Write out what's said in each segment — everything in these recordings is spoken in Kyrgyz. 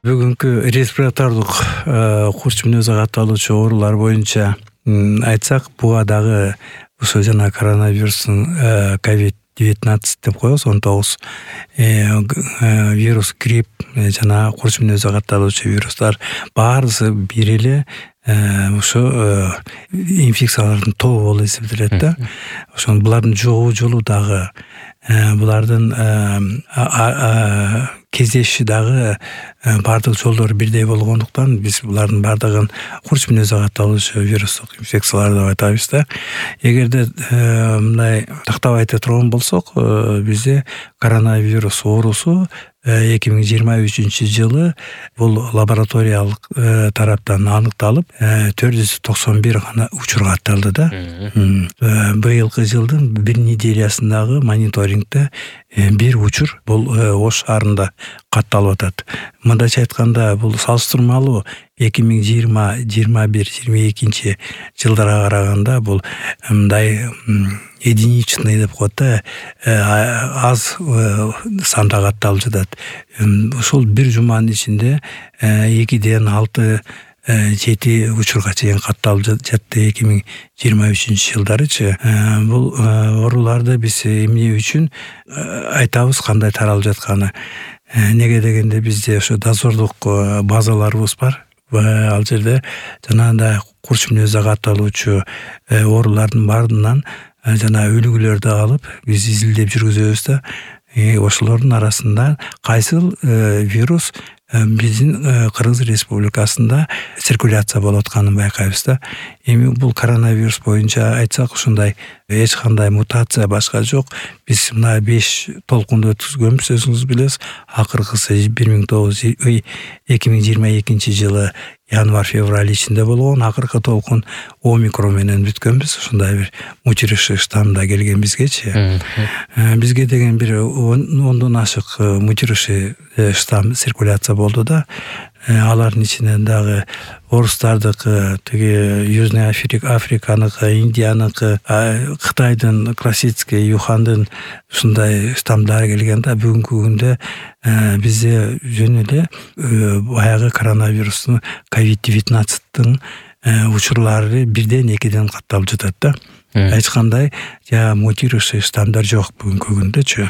Бүгүнкү респиратордук курч мүнөзү катталуучу оорулар боюнча айтсак, буга дагы ошо жана коронавирустун COVID-19 деп коебуз, 19 вирус, грипп жана курч мүнөзү катталуучу вирустар баарысы бир эле ошо инфекциялардын тобу болуп эсептелет да. Ошон булардын жугуу жолу дагы булардын кездеши дагы бардык жолдору бирдей болгондуктан биз булардын бардыгын курч мүнөзү катталуучу вирустук инфекциялар деп атабыз да. Эгерде мындай тактап айта турган болсок, бизде коронавирус оорусу 2023 жылы бул лабораториялык тараптан аныкталып, 491 гана учур катталды да. Быйылкы жылдын бир неделясындагы мониторингде бир учур бул Ош шаарында катталып атат. Мындайча айтканда, бул салыштырмалуу 2020-21-22 жылдарга караганда бул мындай единичный деп коет да, аз санда катталып жатат. Ошол бир жуманын ичинде 2-ден 6-7 учурга чейин катталып жатты 2023 жылдарычы. Бул ооруларды биз эмне үчүн айтабыз, кандай таралып жатканы? Неге дегенде, бизде ошо дозордук базаларыбыз бар. Ал жерде жанагындай курч мүнөзү катталуучу оорулардын баарынан жана үлгүлөрдү алып биз изилдеп жүргүзөбүз да. Ошолордун арасында кайсыл вирус биздин Кыргыз Республикасында циркуляция болуп атканын байкайбыз да. Эми бул коронавирус боюнча айтсак, ушундай эч кандай мутация башка жок. Биз мына 5 толкунду өткүзгөнбүз, өзүңүз билесиз. Акыркысы 2022 жылы январь-февраль ичинде болгон. Акыркы толкун омикрон менен бүткөнбүз. Ушундай бир мутириши штамда келген бизгечи. Бизге деген бир 10дон ашык мутириши штам циркуляция болду да. Алардын ичинен дагы орустардыкы, тиги Южный Африканыкы, Индияныкы, Кытайдын классический, Юхандын ушундай штамдары келген да. Бүгүнкү күндө бизде жөн эле баягы коронавирустун COVID-19 учурлары 1-2 катталып жатат да. Эч кандай мутирующий штамдар жок бүгүнкү күндөчү.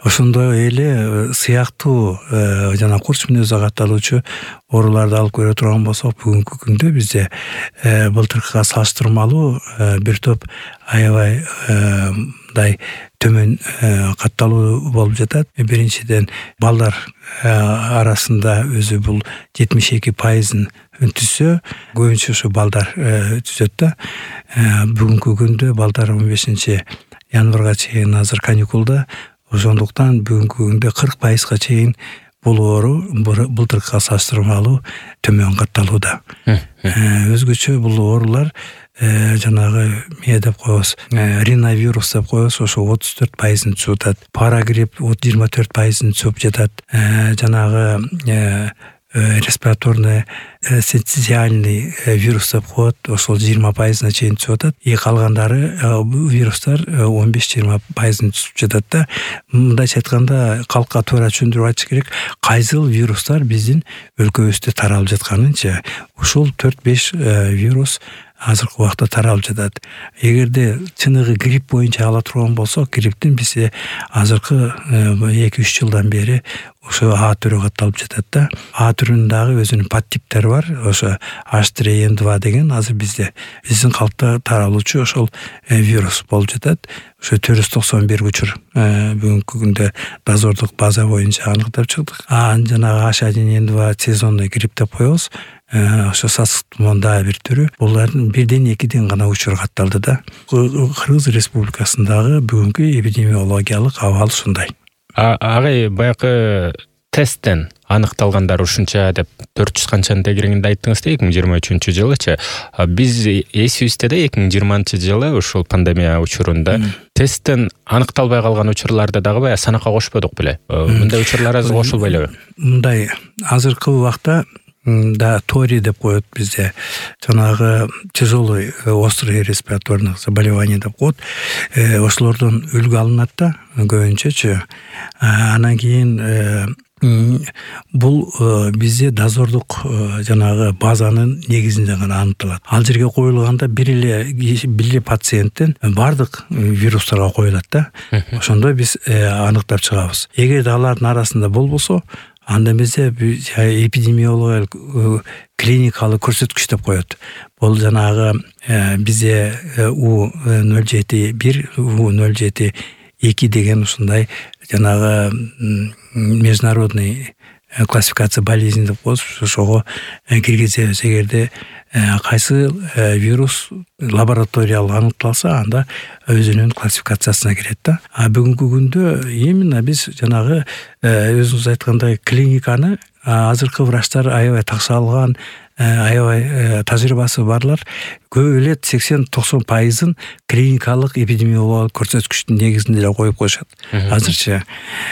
Ошондой эле сыяктуу жана курч мүнөзү катталуучу ооруларды алып көрө турган болсок, бүгүнкү күндө бизде былтыркыга салыштырмалуу бир топ аябай мындай төмөн катталуу болуп жатат. Биринчиден, балдар арасында өзү бул 72% түзсө, көбүнчө ушу балдар түзөт да. Бүгүнкү күндө балдар 15 январга чейин азыр каникулда, ошондуктан бүгүнкү күндө 40%га чейин бул оору былтыркыга салыштырмалуу төмөн катталууда. Өзгөчө бул оорулар жанагы эмне деп коебуз, риновирус деп коебуз, ошо 34% түзүп атат. Парагрипп 24% түзүп жатат. Жанагы респираторный синцитиальный вирус деп коет, ошол 20%-на чейин түзүп атат. Калгандары вирустар 15-20% түзүп жатат да. Мындайча айтканда, калкка туура түшүндүрүп айтыш керек, кайсыл вирустар биздин өлкөбүздө таралып жатканынчы. Ушул 4-5 вирус азыркы убакта таралып жатат. Эгерде чыныгы грипп боюнча ала турган болсок, грипптин бизде азыркы 2-3 жылдан бери ошо А түрү катталып жатат да. А түрүнүн дагы өзүнүн подтиптери бар. Ошо H3N2 деген азыр биздин калкта таралуучу ошол вирус болуп жатат. Ошо 491 учур бүгүнкү күндө дозордук база боюнча аныктап чыктык. Жанагы H1N2 сезонный грипп деп коебуз. Ошо сасык тумоон дагы бир түрү. Булардын 1-2 гана учур катталды да. Кыргыз Республикасындагы бүгүнкү эпидемиологиялык абал ушундай. Агай, баягы тесттен аныкталгандар ушунча деп 400 канчаны тегерегинде айттыңыз да, 2023 жылычы. Биз эсибизде да 2020 жылы ушул пандемия учурунда тесттен аныкталбай калган учурларды дагы баягы санакка кошподук беле? Мындай учурлар азыр кошулбай элеби? Мындай азыркы убакта да тори деп коет бизде, жанагы тяжелый острый респираторный заболевание деп коет. Ошолордон үлгү алынат да көбүнчөчү. Анан кийин бул бизде дозордук жанагы базанын негизинде гана аныкталат. Ал жерге коюлганда бир эле пациенттен бардык вирустарга коюлат да. Ошондо биз аныктап чыгабыз. Эгерде алардын арасында болбосо, анда бизде эпидемиологиялык клиникалык көрсөткүч деп коет. Бул жанагы бизде U071, U072 деген ушундай жанагы международный классификация болезней деп коебуз. Ошого киргизебиз. Эгерде кайсы вирус лабораториялык аныкталса, анда өзүнүн классификациясына кирет да. Бүгүнкү күндө именно биз жанагы өзүңүз айткандай клиниканы азыркы врачтар аябай такшы алган, аябай тажрыйбасы барлар көп эле 80-90% клиникалык эпидемиологиялык көрсөткүчтүн негизинде эле коюп коюшат. Азырча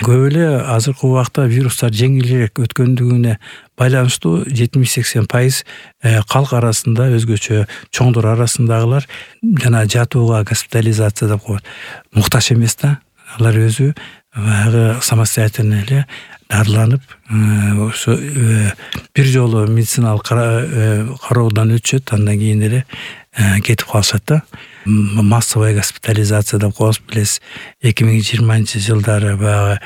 көп эле азыркы убакта вирустар жеңилирээк өткөндүгүнө байланыштуу 70-80% калк арасында өзгөчө чоңдор арасындагылар жана жатууга госпитализация деп коет. Муктаж эмес да. Алар өзү баягы самостоятельно эле дарыланып, ошо бир жолу медициналык кароодон өтүшөт, андан кийин эле кетип калышат да. Массовая госпитализация деп коебуз, билесиз. 2020-жылдары баягы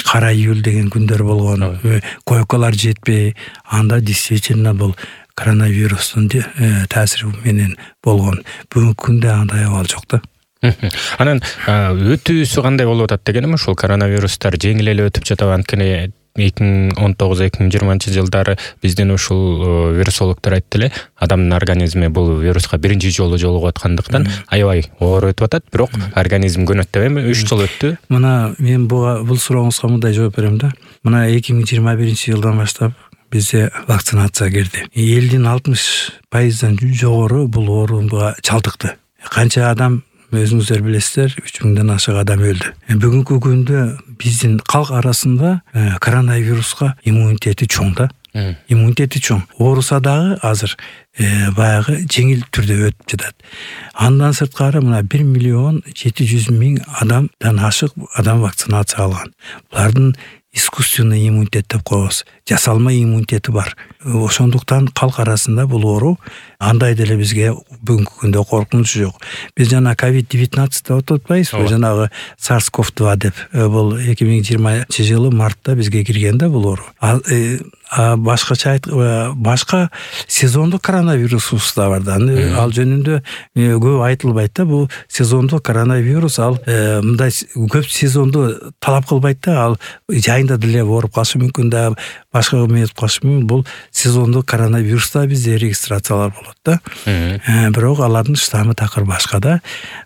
кара июль деген күндөр болгон, койкалар жетпей, анда действительно бул коронавирустун таасири менен болгон. Бүгүнкү күндө андай абал жок да. Анан өтүүсү кандай болуп атат дегеним, ушул коронавирустар жеңил эле өтүп жатабы? Анткени 2019-2020 жылдары биздин ушул вирусологдор айтты эле, адамдын организми бул вируска биринчи жолу жолугуп аткандыктан аябай оор өтүп атат, бирок организм көнөт деп эми 3 жыл өттү. Мына мен бул сурооңузга мындай жооп берем да. Мына 2021-жылдан баштап бизде вакцинация кирди. Элдин 60%дан жогору бул оорууга чалдыкты. Канча адам өзүңүздөр билесиздер, 3000ден ашык адам өлдү. Бүгүнкү күндө биздин калк арасында коронавируска иммунитети чоң да. Иммунитети чоң. Ооруса дагы азыр баягы жеңил түрдө өтүп жатат. Андан сырткары мына 1.700.000 адамдан ашык адам вакцинация алган. Булардын искусственный иммунитет деп коебуз. Жасалма иммунитети бар. Ошондуктан калк арасында бул оору андай деле бизге бүгүнкү күндө коркунуч жок. Биз жана COVID-19 деп атпайбызбы? Жанагы SARS-CoV-2 деп. Бул 2020-жылы мартта бизге киргенде бул оору. Башка сезондук коронавирус да бар да. Ал жөнүндө көп айтылбайт да. Бул сезондук коронавирус, ал мындай көп сезонду талап кылбайт да. Ал жайында деле ооруп калышы мүмкүн да, башка метип калышы мүмкүн. Бул сезондук коронавируста бизде регистрациялар болот да. Бирок алардын штаммы такыр башка да.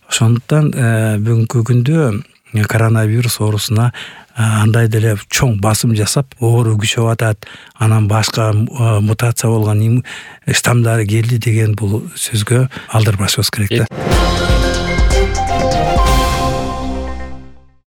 Ошондуктан бүгүнкү күндө коронавирус оорусуна андай деле чоң басым жасап, оору күчөп атат, анан башка мутация болгон штаммдары келди деген бул сөзгө алдырбашыбыз керек да.